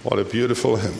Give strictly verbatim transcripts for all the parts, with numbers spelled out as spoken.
What a beautiful hymn.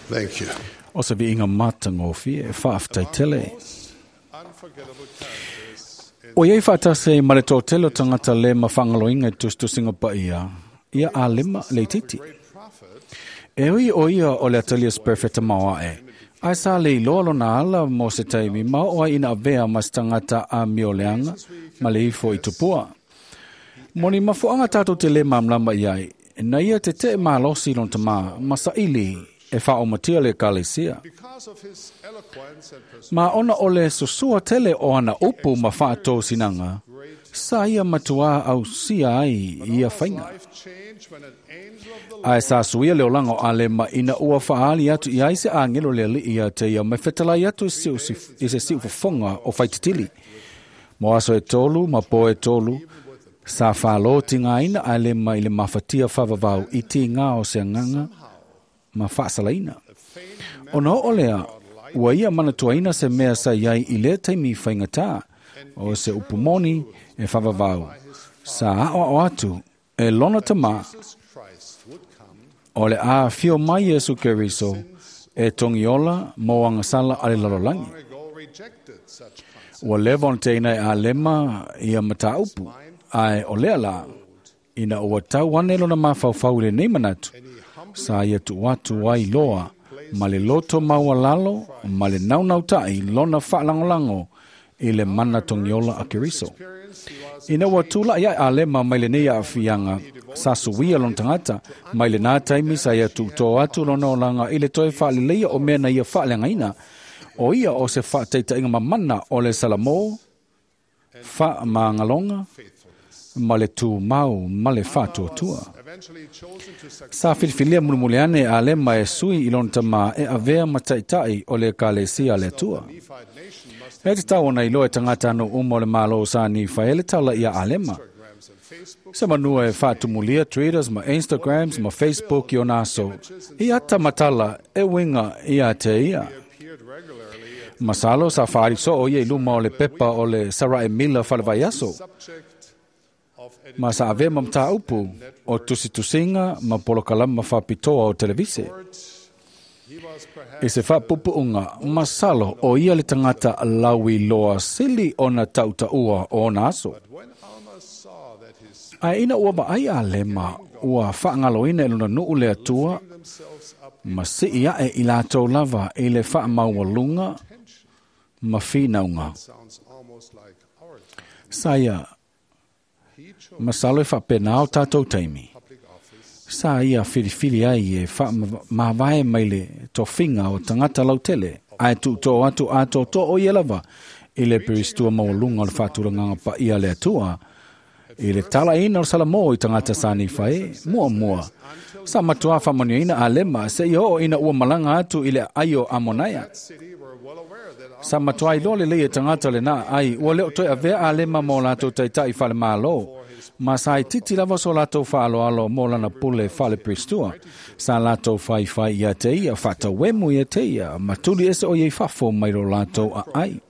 Thank you. O se viiga matagofie e faafetaitele. Most unforgettable characters in O iai faatasi ma le toatele o tagata le mafaagaloina i tusitusiga paia, ia Alema leititi. great prophet E ui o ia o le atalia se perfeta maoae, ae sa le iloa lona ala mo se taimi ma oo ai ina avea ma se tagata a mioleaga ma le ifo i tupua. Mo ni mafuaaga tatou te lē malamalama i ai, na ia teteʻe malosi lona tamā ma saʻili e faaomatia le ekalesia. because of his eloquence and persuasion Ma ona o le susua tele o ana upu ma faatosinaga, sa ia matuā ausia ai ia faiga. life changed when an angel of the Ae sa suia le olaga o Alema ina ua faaali atu i ai se agelo le alii ia te ia ma fetalai atu i se siu- i se siufofoga o faititili. Mo aso e tolu ma po e tolu, sa whālo tigaina Alema i le mafatia whavavau i tigā o se agaga ma faasalaina. Ona oo lea, ua ia manatuaina se mea sa iai i lea taimi faigata, o se upu moni e whavavau. Sa aoao atu e lona tamā Jesus Christ would come o le a fio mai Iesu Keriso e togiola mo agasala a le lalolagi. long ago rejected such concepts. Ua leva ona teina e Alema ia mataupu, ae o lea la, ina ua tau ane lona mafaufau i lenei manatu, sa ia tuu atu ai loa ma le loto maualalo ma le naunautai lona faalagolago i le mana togiola a Keriso. Experience he was Ina ua tulaʻi ae Alema mai lenei aafiaga, sa suia lona tagata, mai lenā taimi sa ia tuutō atu lona olaga i le toe faaleleia o mea na ia faaleagaina. O ia o se faataitaiga mamana o le Salamō, faamagaloga faithfulness. ma le tumau ma le faatuatua. Eventually chosen to succeed Sa filifilia mulimuli ane e Alema e sui i lona tamā e avea ma taʻitaʻi o le ekalesia a le Atua. the Nephite nation must E tatau ona iloa e tagata anu uma o le Malo o sa Nifae le tala ia Alema. Instagrams and Facebook Se manua e faatumulia Twitters ma Instagrams ma Facebook i ona aso. I ata matala e winga ia te ia. appeared regularly at Masalo sa whaariso o ia i luma o le pepa o le Sarai Mila whalevaiaso. subject of Ma sa ave ma mtāupu o tusitusinga ma polokalama whapitoa o televise. editor. He was perhaps I se whaapupuunga, masalo o ia le tangata lawi loa sili ona tautaua o ona aso. when Alma saw that his Ae ina ua vaai Alema ua faagaloina e lona nuu le Atua themselves up ma sii ae i latou lava i le faamaualuga ma finauga. sounds almost like our time. Sa ia He chose masalo e faapenā o tatou taimi. public office Sa ia filifili ai e faamavae mai le tofiga o tagata lautele, ae tuutoo atu atoatoa o ia lava i le peristua maualuga o le faatulagaga paia a le Atua, i le talaina o le Salamō i tagata sa Nifae, muamua. Sa matuā faamanuiaina Alema seia oo ina ua malaga atu i le aai o Amonaia. city were well aware that Sa matuā iloa lelei e tagata lenā ai, ua leo toe avea Alema mo latou taitaʻi falemālō, ma sa itiiti lava so latou faaloalo mo lana pule faaleperistua. Sa latou faifai ia te ia, faatauemu ia te ia, ma tuli ese o ia i fafo mai lo latou aai.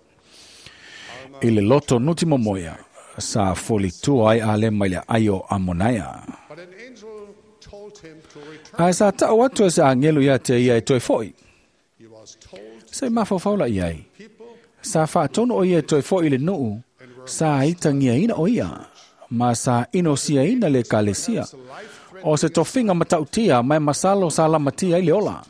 I le loto nuti momoia, sa folitua ai Alema i le aai o Amonaia. but an angel told him to return. Ae sa taʻu atu e se agelu ia te ia e toe foʻi. He was told Se mafaufau la i ai. people Sa faatonu o ia e toe foʻi i le nuu, sa itagiaina o ia, ma sa inosiaina le ekalesia. O se tofiga matautia ma e masalo sa lamatia ai le ola.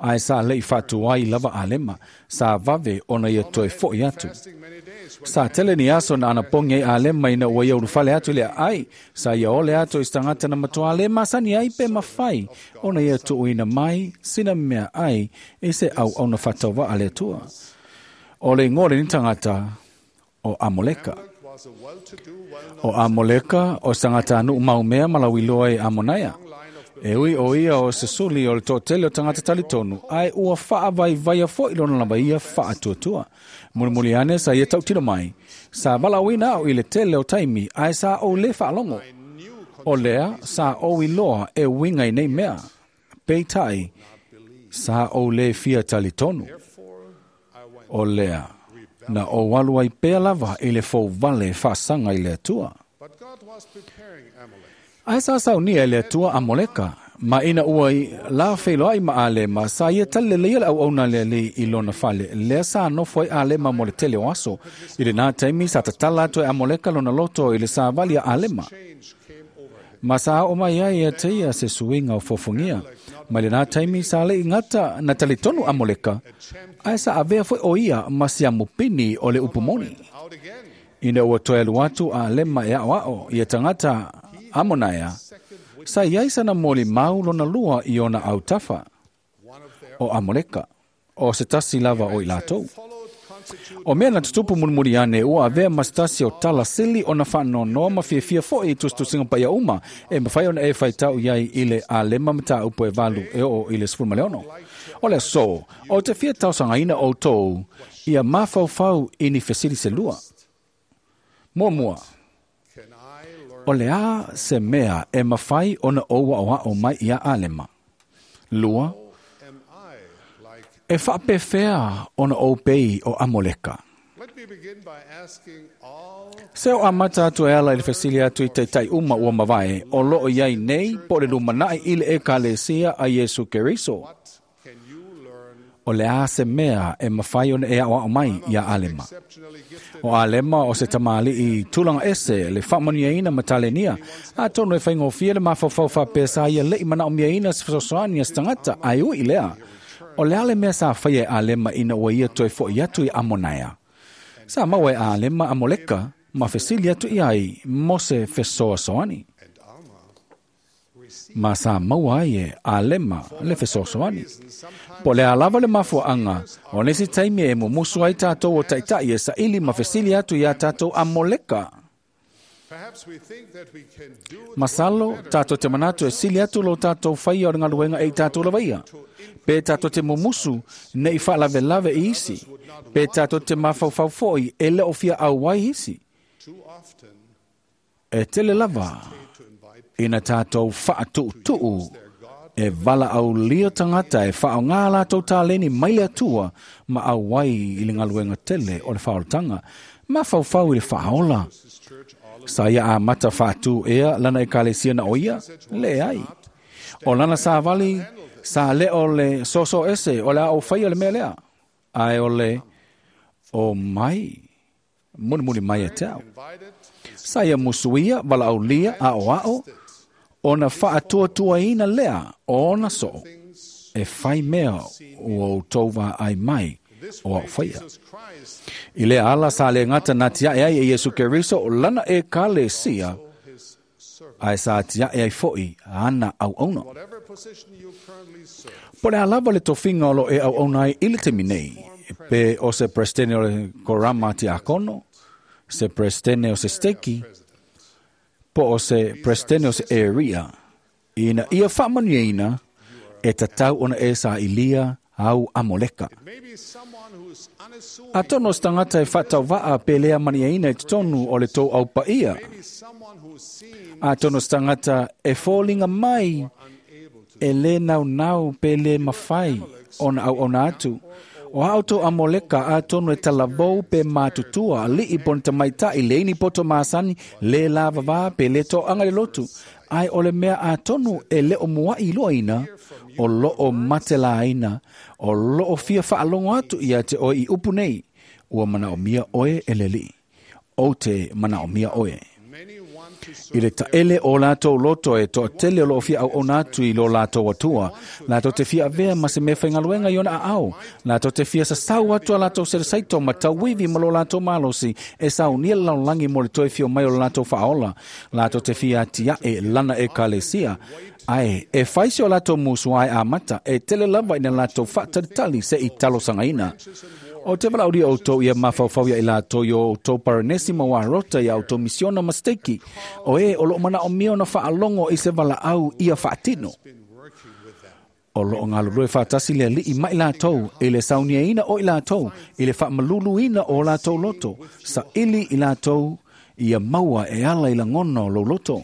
Ae sa leʻi faatuai lava Alema, sa vave ona ia toe foʻi atu. fasting many days when Sa tele ni aso na anapogi ai Alema ina ua ia ulufale atu i le aai, sa ia ole atu i se tagata na matuā le masani ai pe mafai, ona ia tuuina mai sina mea ai i se auauna faatauvaa a le Atua. O le igoa o lenei tagata o Amoleka. was a well-to-do, well-known O Amoleka o se tagata anuu maumea ma lauiloa e Amonaia. E ui o ia o se suli o le toatele o tagata talitonu, ae ua faavaivaia foʻi lona lava ia faatuatua. Mulimuli ane sa ia tautino mai, sa valaauina au i le tele o taimi, ae sa ou lē faalogo. O lea sa ou iloa e uiga i nei mea. Peitai, sa ou lē fia talitonu. O lea, na ou alu ai pea lava i le fouvale faasaga i le Atua. But God was preparing Amalek Ae sa saunia e le Atua Amoleka, Ma ina ua la wheiloai ma Alema, sa ia tali leleia le auauna le alii i lona fale. Lea sa nofo ai Alema mo le tele o aso. I le nā taimi sa tatala atu e Amoleka lona loto i le savali a Alema. Ma sa o mai ai e te ia se suiga o fofogia. Ma le nā taimi sa le ingata na talitonu Amoleka, ae sa avea foi o ia ma si amupini o le upumoni. Ina ua toe alu atu a Alema e ao ao ia tangata Amonaia, sa iai sana moli mau lona lua i ona autafa o Amoleka, o se tasi lava o i latou. O mea na tutupu mulimuli ane ua avea ma se tasi o tala sili ona faanoanoa ma fiafia foi i tusitusiga paia uma e mafai ona e faitau iai i le Alema mataupu e valu e oo i le sefulu ma le ono. O le aso, o te fia tausagaina outou ia mafaufau i ni fesili se lua. Muamua, o le a se mea e mafai ona ou aoao mai ia Alema. Lua, e faapefea ona ou pei o Amoleka. Se o amata atu e ala i le fesili atu i taitai uma ua mavae, o loo iai nei po le lumanai i le ekalesia a Iesu Keriso. O le a se mea e mafai ona e aoao mai ia Alema. O Alema o se tamali i tulaga ese le faamanuiaina ma talenia. Atonu e faigofie le mafaufau faapea sa ia le'i manaomiaina se fesoasoani a se tagata ae ui lea. O le a le mea sa faia e Alema ina ua ia toe fo'i atu i Amonaia. Sa maua e Alema Amoleka ma fesili atu i ai mo se fesoasoani. Ma sa maua ai e Alema le fesoasoani. Po le alava le mafuaanga, o nisi taimi e mumusu ai tātou o taitai e saili ma fesili atu ia tātou Amoleka. Masalo, tātou te manatu e sili atu lo tātou whaia o le ngaluenga e i tātou lavaia. Pe tātou te mumusu nei whaalavelave i isi. Pe tātou te mafaufau foi e le ofia au ai isi. E tele lava, ina tātou whaatuutuu e vala au lia tangata e whao ngā lātou tāleni mai le atua ma au ai i le ngaluenga tele o le whaoltanga. Ma whauwhau i le whaola. Sa ia a mata whaatu ea lana e kalesia na oia, le ai. O lana sa vali, sa le o le soso ese, o le au whai o le mea lea. Ai o le o mai, muni muni mai e te au. Sa ia musuia, vala au lia, a o ao, ona whaatuatuaina lea, ona so, e whai mea o tauva ai mai o au whaia. I le ala sa le ngata na tia e ai e Iesu Keriso o lana e kale sia, ai sa tia e ai foi ana au ona. Po le alava le tofinga o lo e au ona ai i le temi nei, pe o se prestene o le korama tia akono, se prestene o se steki, po o se prestene o se area, ina ia whaamanuiaina e tatau ona e sa ilia au Amoleka. Atono se tagata e faatauva'a pe lea maniaina i totonu o le tou aupaia. Atono se tagata e foliga mai e lē naunau pe lē mafai ona auauna atu. O a outou Amoleka atonu e talavou pe matutua ali'i po ni tamaita'i leini poto masani lē lavavā pe lē to'aga le lotu. Ai o le mea atonu e le o mua'i iloaina o loo matelaina o loo fia faalogo atu ia te oe i upu nei. Ua manaomia oe e le Alii. Ou te manaomia oe. I le taele o latou loto e toatele o loo fia auauna atu i lo latou atua. Latou te fia avea ma se mea faigaluega i ona aao. Latou te fia sasau atu a latou selesaito ma tauivi ma lo latou malosi e saunia le lalolagi mo le toe fio mai o le latou faaola. Latou te fia atiae lana ekalesia. Ae, e faisi o latou musu ai amata e tele lava ina latou faatalitali se i talosagaina. O te valauria outou ia mafaufau ia i latou i o outou paranesi ma warota ia outou misiona ma steki. O e o loo manaomia ona faalogo i se valaau ia faatino. O loo galulue faatasi le alii mai latou i le sauniaina o i latou, i le faamaluluina o latou loto, saili i latou ia maua e ala i lagona o lou loto.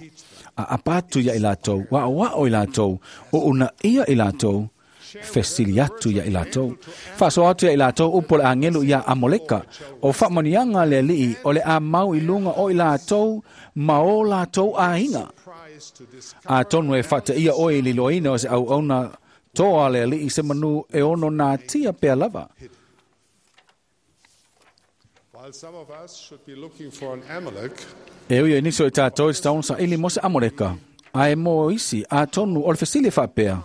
A apa atu ia i latou, waawao i latou, o una ia i latou, fesili atu ia i latou. Faasoa atu ia i latou upu o le agelu ia Amoleka. O faamanuiaga le alii o le a mau i luga o i latou ma o latou aiga. A tonu e whata ia oe i liloina o se au auna toa le alii se manu e ono nā tia pea lava. While some of us should be looking for an Amalek, E ui e niso e tātou e taun sa ili mo se Amoreka. A e mo isi a tonu o le fesili whaapea.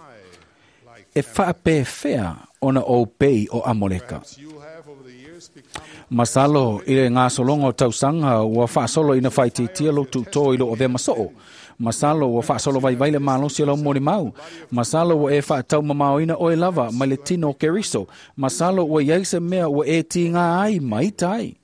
E whaapewhea ona o pei o Amoreka. you have over the years become Masalo i le ngā solonga o tausanga ua whaasolo ina whaititia lo tūtō i lo o vea masoo. Masalo ua whaasolo vai vai le malosi o lau mori mau. Masalo ua e whaatau mamao ina oe lava mai le tino o Keriso. Masalo ua iai se mea ua e ti ngā ai mai tai.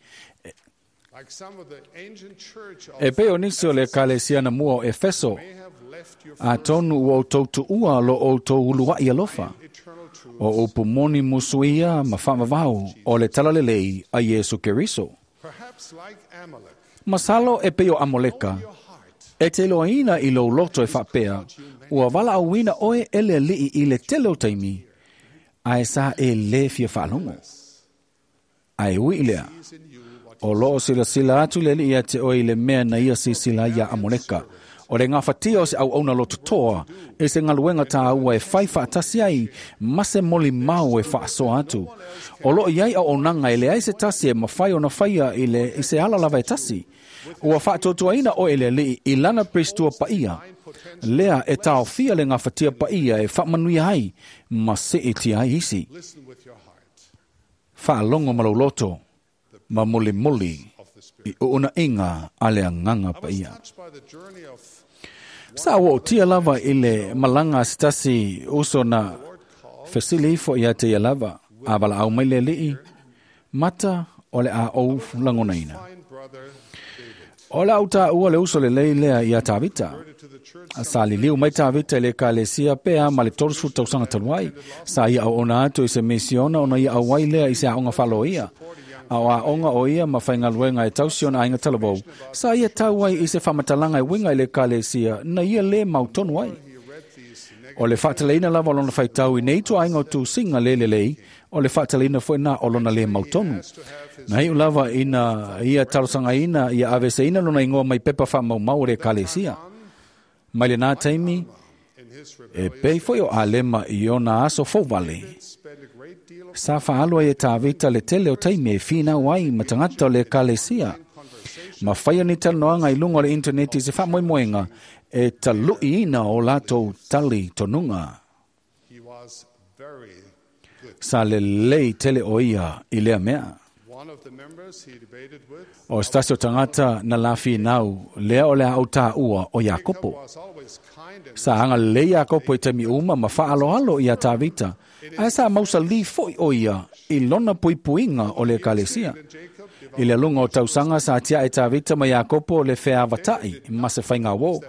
like some of the ancient church of E peo nisi o le kalesia na mua o Efeso, may have left your a tonu ua o tau tuua lo o tau uluai alofa. eternal truth. O upu moni musuia ma whaamawau o le talalelei a Yesu Keriso. Perhaps like Amalek, Masalo e peo Amoleka. your heart E te loaina i lou loto e whaapea, ua wala auina oe e le alii i le tele o taimi, a e sa e le fia whaalongo. A e ui lea, is in you what o loo sila sila atu le alii a te oe i le mea na ia sisila ia Amoleka. O le ngawhatia o se au auna loto toa, e se ngaluenga tā ua e whai whaatasi ai, ma se moli mau e whaasoa atu. O loo iai au onanga e le ai se tasi e mawhai o na whaia i, le, i se ala lava e tasi. Ua whaatuatuaina o e le alii i lana pristua paia. Lea e taofia le ngawhatia paia e whaamanuia ai, ma se e tia ai isi. listen with your heart Whaalongo malauloto, ma muli muli, of the Spirit. i uuna inga a le anganga I was paia. touched by the journey of Sa ua tia lava i le malanga sitasi uso na fesili ifo ia te ia lava. A wala au mai le lii, mata o le a ou langonaina. fine brother David. O le au tā ua le uso le lei lea ia Tavita. To the church Sa liliu mai Tavita i le kalesia pea ma le torusu tausaga talu Sa ia au ona atu i se misiona ona ia au ai lea i se aonga whalo ia. A o aonga o ia ma whaingaluenga e tausi ona ainga talavou. Sa ia tau ai i se whamatalanga e winga i le kalesia na ia le mautonu ai. he read these O le whaataleina lava o lona whaitau i nei tua ainga o tūsinga le lelei, o le whaataleina foi nā o lona le mautonu. Na iu lava ina ia talosanga ina, ia aveseina lona ingoa mai pepa wha mau mau o le kalesia. Mai le nā taimi, in his e rebellion pei foi o Alema i ona aso fōvale. spent a great deal of Sa whaalua e tāvita le tele o taimi e whinau ai matangata o le kalesia. Ma whaia ni talanoanga i lunga o le interneti se whaamoemoenga e talui ina o lātou tali tonunga. he was very good. Sa le lei tele o ia i lea mea. One of the members he debated with O stasi o tangata na lafi nau, lea o lea au tā ua o Iakopo. was always kind and Sa anga le Iakopo i temi uma ma whaaloalo i a Tavita. Ae sa mausa li foi o ia i lona puipuinga o le kalesia. Jacob I le lunga o tausanga sa tia e Tavita ma Iakopo le whea vatai ma se whainga wō.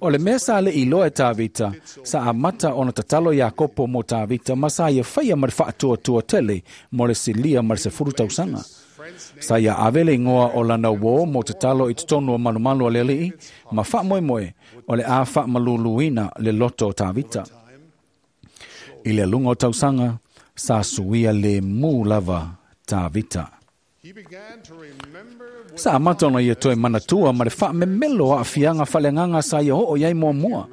O le mea sa le iloa e Tavita, sa amata ona tatalo Iakopo mo Tavita ma sa ia whaia ma le whaatua tua tele mo le silia ma le sefuru tausanga. Sa ia avele ingoa o lana wō mo tatalo i totonu o malumalu a le alii, ma whaamoemoe o le a whaamaluluina le loto o Tavita. I le lunga o tausanga, sa suia le mū lava Tavita. he began to remember with Sa amata ona ia toe manatua ma le whaamemelo a fianga whalenganga sa ia hoo iai mua mua.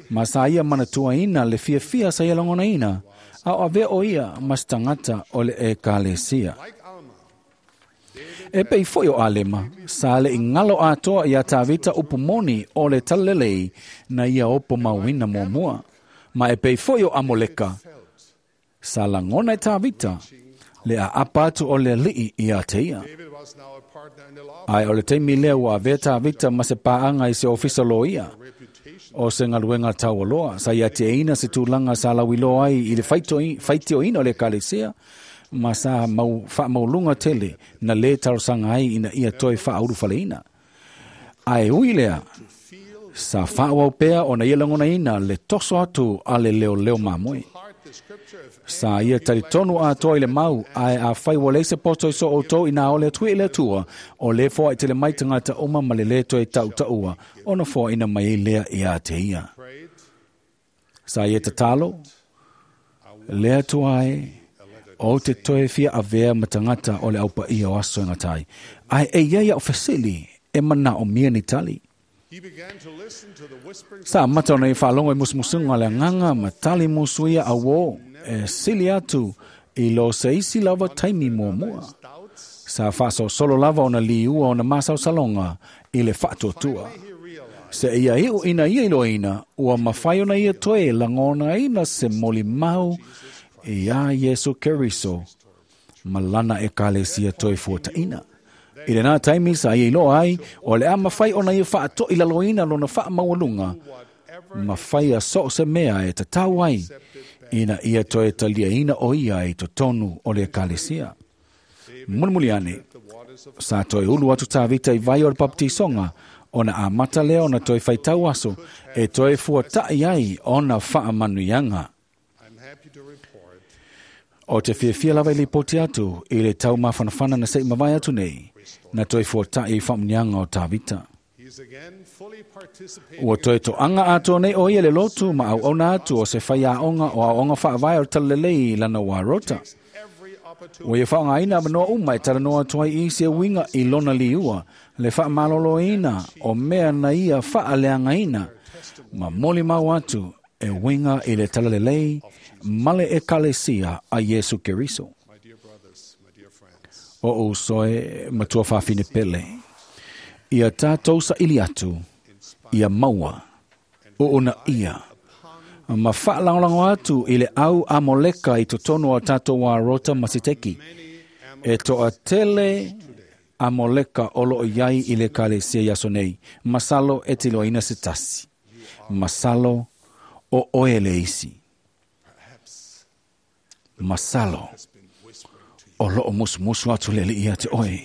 Ma sa ia manatua ina le fia fia sa ia langona ina. A o avea o ia mas tangata o le e kalesia. like Alma E pei foi o Alema, sa le ingalo atoa ia Tavita upumoni o le talalelei na ia opo mauina mua mua. Ma e pei foi o Amoleka, sa langona e Tavita, le a apa atu o le alii ia te ia. David was now a partner in the law Ai o le taimi lea ua avea Tavita ma se paanga i se ofisa loia. reputation O se ngaluenga taualoa, sa ia te eina se tūlanga sa lauiloa ai i le faitoi- faitioina o le kalesia, ma sa mau, whaamaulunga tele na le tarosanga ai ina ia toe whaauru whaleina. Ai ui lea, sa whaawau pea o na ia langona ina le toso atu a le leo leo mamoe. heart the scripture if Sa ia talitonu atoa i le mau, ae a whai wale se poto i so o tau i nā ole tui i le atua, o le foa i te le mai tangata uma ma le le toe tau taua, ona foa ina mai e lea i a te ia. prayed Sa ia tatalo, le atua e, o te toe fia avea matangata o le aupa ia o aso e ngatai. Ai e ia ia o fesili, e mana o mia ni tali. Sa mata ona i whaalongo i musumusunga le anganga ma tali musuia a wō e sili atu i lo se isi lava taimi mua mua. Sa whaaso solo lava ona liua ona masau salonga i le whaatuatua. Se ia iu ina ia iloina, ua mawhai ona ia toe langona ina se moli mau i a Yesu Keriso, malana e kalesia toe fuataina. I le nā taimi sa ia iloa ai, o le a mawhai ona ia whaatoi laloina lona wha maualunga, mawhai a so se mea e tatau ai, ina ia toe talia ina o ia i totonu o le kalesia. Mulimuli ane, sa toe ulu atu Tavita i vai o le baptisonga, ona a mata lea ona toe whaitau aso, e toe fuatai ai ona whaamanuianga. O te fiafia lava i lipoti atu i le tau mawhanawhana na sei mawai atu nei, na toe fuatai i whamunianga o Tavita. Ua toe toanga atoa nei o ia le lotu ma au ona atu o se whai aonga o aonga whaavai o talalelei lana warota. Ua ia whaongaina manoa uma e talanoa atu ai i se winga i lona liua, le whaamaloloina o mea na ia whaaleangaina, ma moli mau atu e winga i le talalelei male e kalesia a Yesu Keriso. O usoe matua whawhine pele, ia tātou sa ili atu, ia maua, o ona ia, ma whaalangolango atu i le au amoleka i totonu o tātou warota masiteki. E toa tele amoleka olo iai i le kalesia iaso nei, masalo e tiloina se tasi. Masalo o oe le isi. Masalo o loo musumusu atu le ia te oe.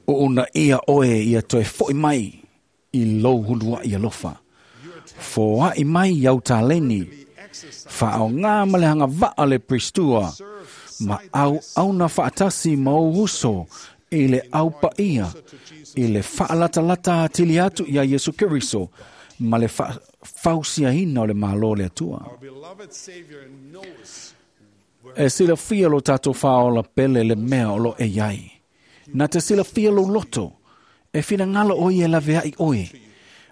O una ia oe ia toe foi mai i lou hulua i alofa. Foai mai iau taleni, whaao ngā malehanga waa le pristua, ma au auna whaatasi ma o uso i le au paia, i le whaalatalata atili atu ia Yesu Keriso, ma le whausiaina o le malo le atua. E silafia lo tātou whaola pele le mea o lo e iai. Nā te silafia lo loto, e whina ngalo oi e laveai oe.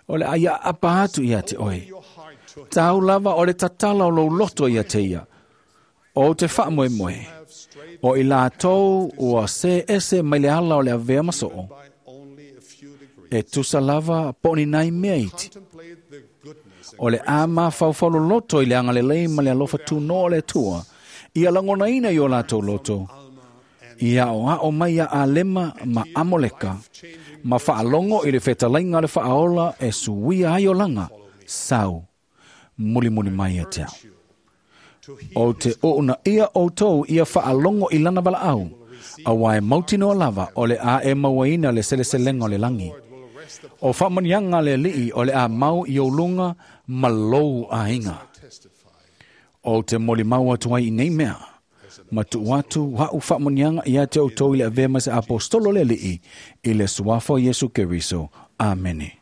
O le aia apa atu ia te oe. Tau lava o le tatala o lo loto ia te ia. O te whaamoe moe. O i lātou ua se ese mai le ala o le avea masoo. E tusa lava poni nai mea iti. O le ama whauwhalo loto i le angalelei ma le alofa tūno o le tua. Ia langona ina i o lātou loto. Ia o ao mai a alema ma amoleka. Ma whaalongo i le whetalainga le whaaola e suia ai o langa. Sau, muli muli mai e te au. O te oona ia o tau ia whaalongo i lana wala au. A wae mautinoa lava o le a e mauaina le seleselenga o le langi. O whaamanianga le lii o le a mau i o lunga ma lou ainga. O te moli mau atu ai i nei mea. Ma tu atu hau whaamanianga ia te o tau i le avea ma se apostolo le lii i le suafa o Yesu Keriso. Amene.